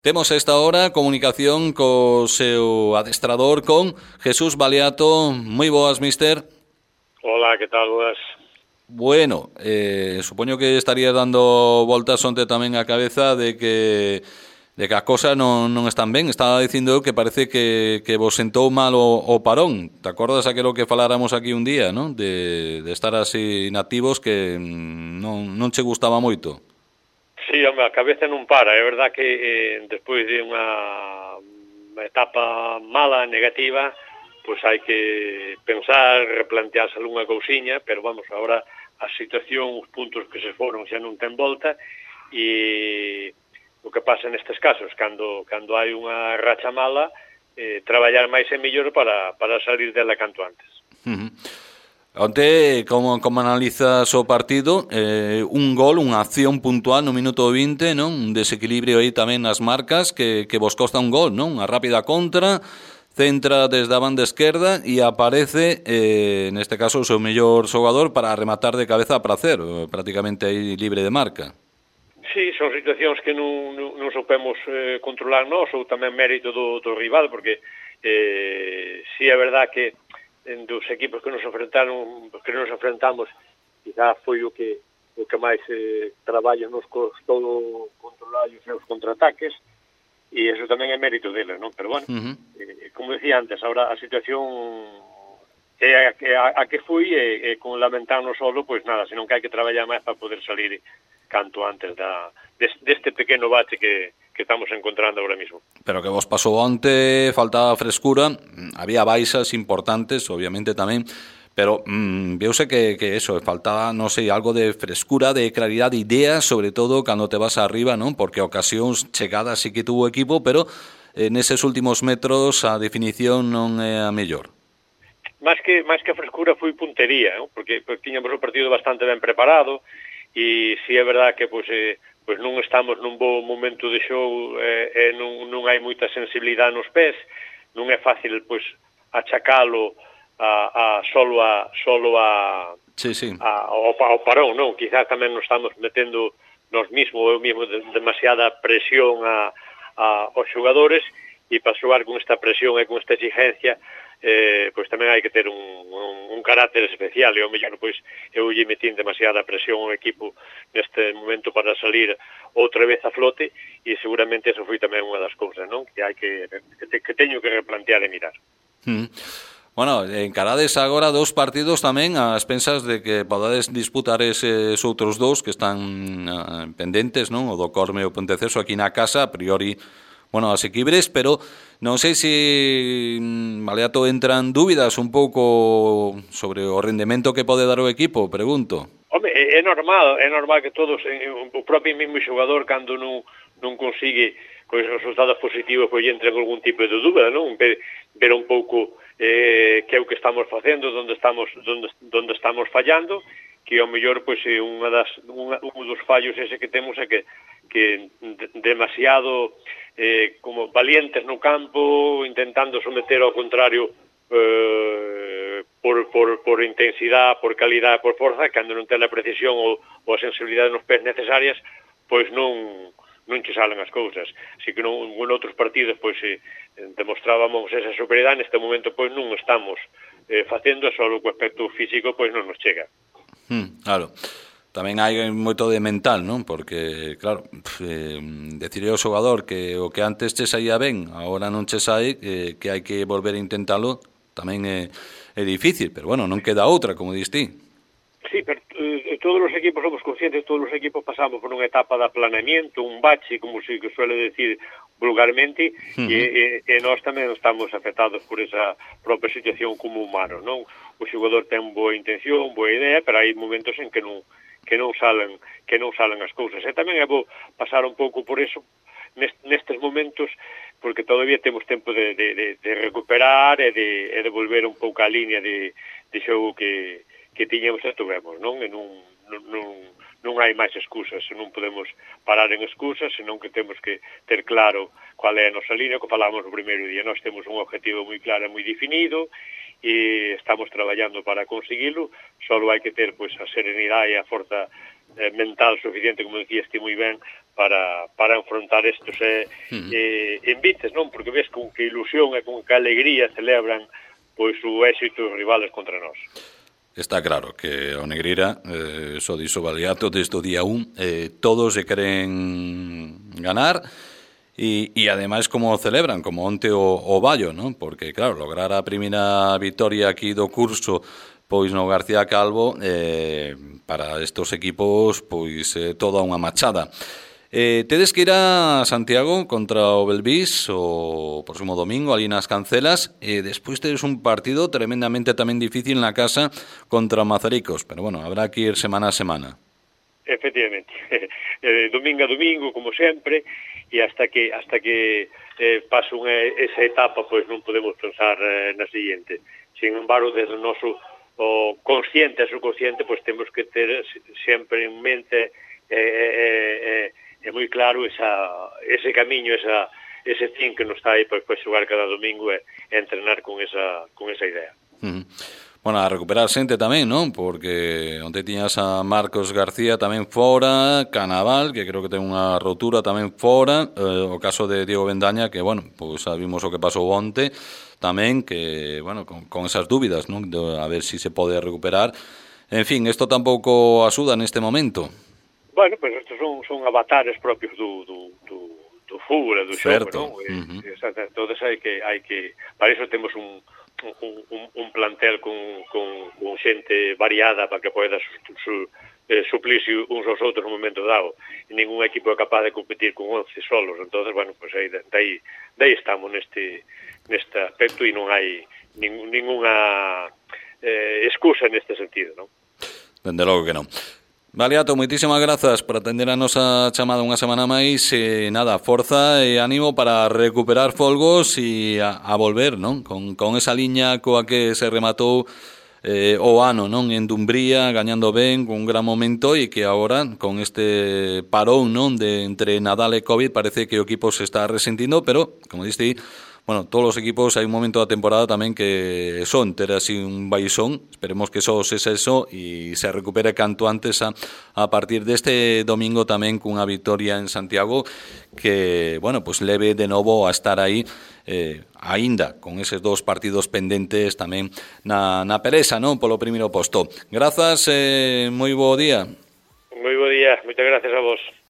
Temos a esta hora comunicación co seu adestrador con Jesús Baliato. Moi boas, mister. Hola, que tal, boas? Bueno, supoño que estarías dando voltas onte tamén a cabeza de que as cosas non están ben. Estaba dicindo eu que parece que vos sentou mal o parón. Te acordas aquilo que faláramos aquí un día, non? De estar así inactivos que non che gustaba moito. Sí, home, a cabeza non para. É verdad que despois de unha etapa mala, negativa, pois hai que pensar, replantearse algunha cousiña, pero vamos, agora a situación, os puntos que se foron xa non ten volta, e o que pasa nestes casos, cando hai unha racha mala, traballar máis e mellor para salir dela canto antes. Onte, como analizas o partido? Un gol, unha acción puntual no minuto 20, non? Un desequilibrio aí tamén nas marcas que vos costa un gol, non? Unha rápida contra, centra desde a banda esquerda e aparece, neste caso, o seu mellor xogador para rematar de cabeza a prazer, prácticamente aí libre de marca. Sí, son situacións que non soupemos controlar nós, ou tamén mérito do rival, porque sí é verdad que dos equipos que nos enfrentamos, quizá foi o que máis traballo nos costou controlar os seus contraataques, e eso tamén é mérito deles, non? Pero bueno, como decía antes, ahora a situación é a que foi, e con lamentarnos solo, pois nada, senón que hai que traballar máis para poder salir canto antes deste pequeno bache que estamos encontrando ahora mismo. Pero que vos pasou onte, faltaba frescura, había baixas importantes, obviamente tamén, pero veuse que eso, faltaba, non sei, algo de frescura, de claridade de ideas, sobre todo cando te vas arriba, non? Porque ocasións chegadas sí que tuvo equipo, pero neses últimos metros a definición non é a mellor. Máis que a frescura foi puntería, non? Porque tiñamos o partido bastante ben preparado, e si é verdad que pois non estamos nun bo momento de xogo, non hai moita sensibilidade nos pés, non é fácil pois achacalo solo ao parón, non? Quizás tamén nos estamos metendo eu mesmo demasiada presión aos xogadores, e para xogar con esta presión e con esta exigencia, pois tamén hai que ter un carácter especial, e ao mellor pois eu lle metín demasiada presión ao equipo neste momento para salir outra vez a flote, e seguramente eso foi tamén unha das cousas, non? Que hai que teño que replantear e mirar. Bueno, encarades agora dos partidos tamén ás pensas de que podades disputar eses outros dous que están pendentes, non? O do Corme e o Ponteceso aquí na casa, a priori, bueno, asequibres, pero non sei se Baliato entran dúbidas un pouco sobre o rendemento que pode dar o equipo, pregunto. Home, é normal que todos, o propio mesmo xogador, cando non consigue con os resultados positivos, pois entren algún tipo de dúbida, non? Ver un pouco que é o que estamos facendo, onde estamos fallando, que ao mellor pois un dos fallos ese que temos é que demasiado como valientes no campo, intentando someter ao contrario por intensidade, por calidade, por forza, cando non ten a precisión ou a sensibilidade nos pés necesarias, pois non che salen as cousas. Así que en outros partidos pois demostrábamos esa superioridade, neste momento pois non estamos facendo, só o aspecto físico pois non nos chega. Claro. Tamén hai moito de mental, non? Porque, claro, decirle ao xogador que o que antes che saía ben, agora non che sai, que hai que volver a intentalo, tamén é difícil, pero bueno, non queda outra, como dis ti. Sí, pero todos os equipos somos conscientes, todos os equipos pasamos por unha etapa de aplanamiento, un bache, como se suele decir vulgarmente, e nós tamén estamos afectados por esa propia situación como humanos, non? O xogador ten boa intención, boa idea, pero hai momentos en que non salen as cousas. E tamén é bo pasar un pouco por eso nestes momentos, porque todavía temos tempo de recuperar e de volver un pouco á línea de xogo que tiñamos e tuvemos, non? E non hai máis excusas, non podemos parar en excusas, senón que temos que ter claro cual é a nosa línea, que falamos no primeiro día. Nós temos un objetivo moi claro e moi definido, e estamos traballando para conseguilo, só hai que ter pois a serenidade e a forza mental suficiente, como decías ti moi ben, para enfrontar estos envites, non? Porque ves con que ilusión e con que alegría celebran pois o éxito dos rivales contra nós. Está claro que o Negreira, só dixo Baliato desde o día 1, todos se queren ganar. E ademais como celebran, como onte o Vallo, non? Porque claro, lograr a primeira vitoria aquí do curso pois no García Calvo, para estos equipos pois toda unha machada. Tedes que ir a Santiago contra o Belvís o próximo domingo ali nas Cancelas, e despois tedes un partido tremendamente tamén difícil na casa contra Mazaricos, pero bueno, habrá que ir semana a semana. Efectivamente, domingo a domingo, como sempre, e hasta que pase esa etapa, pois non podemos pensar na seguinte. Sin embargo, desde o noso consciente e subconsciente, pois temos que ter sempre en mente moi claro ese camiño, ese fin que nos está aí para xogar cada domingo e entrenar con esa idea. Bueno, a recuperar xente tamén, non? Porque onde tiñas a Marcos García tamén fora, Canaval, que creo que ten unha rotura tamén fora, o caso de Diego Bendaña, que, bueno, pois sabimos o que pasou onte, tamén, que, bueno, con esas dúbidas, non? A ver si se pode recuperar. En fin, isto tampouco axuda neste momento. Bueno, pois estes son avatares propios do fútbol e do xogo, non? Entonces hai que para iso temos un plantel con xente variada para que poida suplirse uns aos outros no momento dado. E ningún equipo é capaz de competir con 11 solos. Entonces, bueno, pues daí estamos neste aspecto e non hai ninguna excusa neste sentido, non? Dende logo que non. Baliato, moitísimas grazas por atender a nosa chamada unha semana máis, nada, forza e ánimo para recuperar folgos e a volver, non? Con esa liña coa que se rematou o ano, non? En Dumbría, gañando ben, con un gran momento, e que agora, con este parón, non? De entre Nadal e Covid, parece que o equipo se está resentindo, pero, como diste, bueno, todos os equipos hai un momento da temporada tamén que son ter así un baixón. Esperemos que só sexa eso e se recupere canto antes a partir deste domingo tamén cunha victoria en Santiago que, bueno, pues leve de novo a estar aí aínda con eses dos partidos pendentes tamén na pereza, non? Polo primeiro posto. Grazas, moi bo día. Moi bo día, moitas gracias a vos.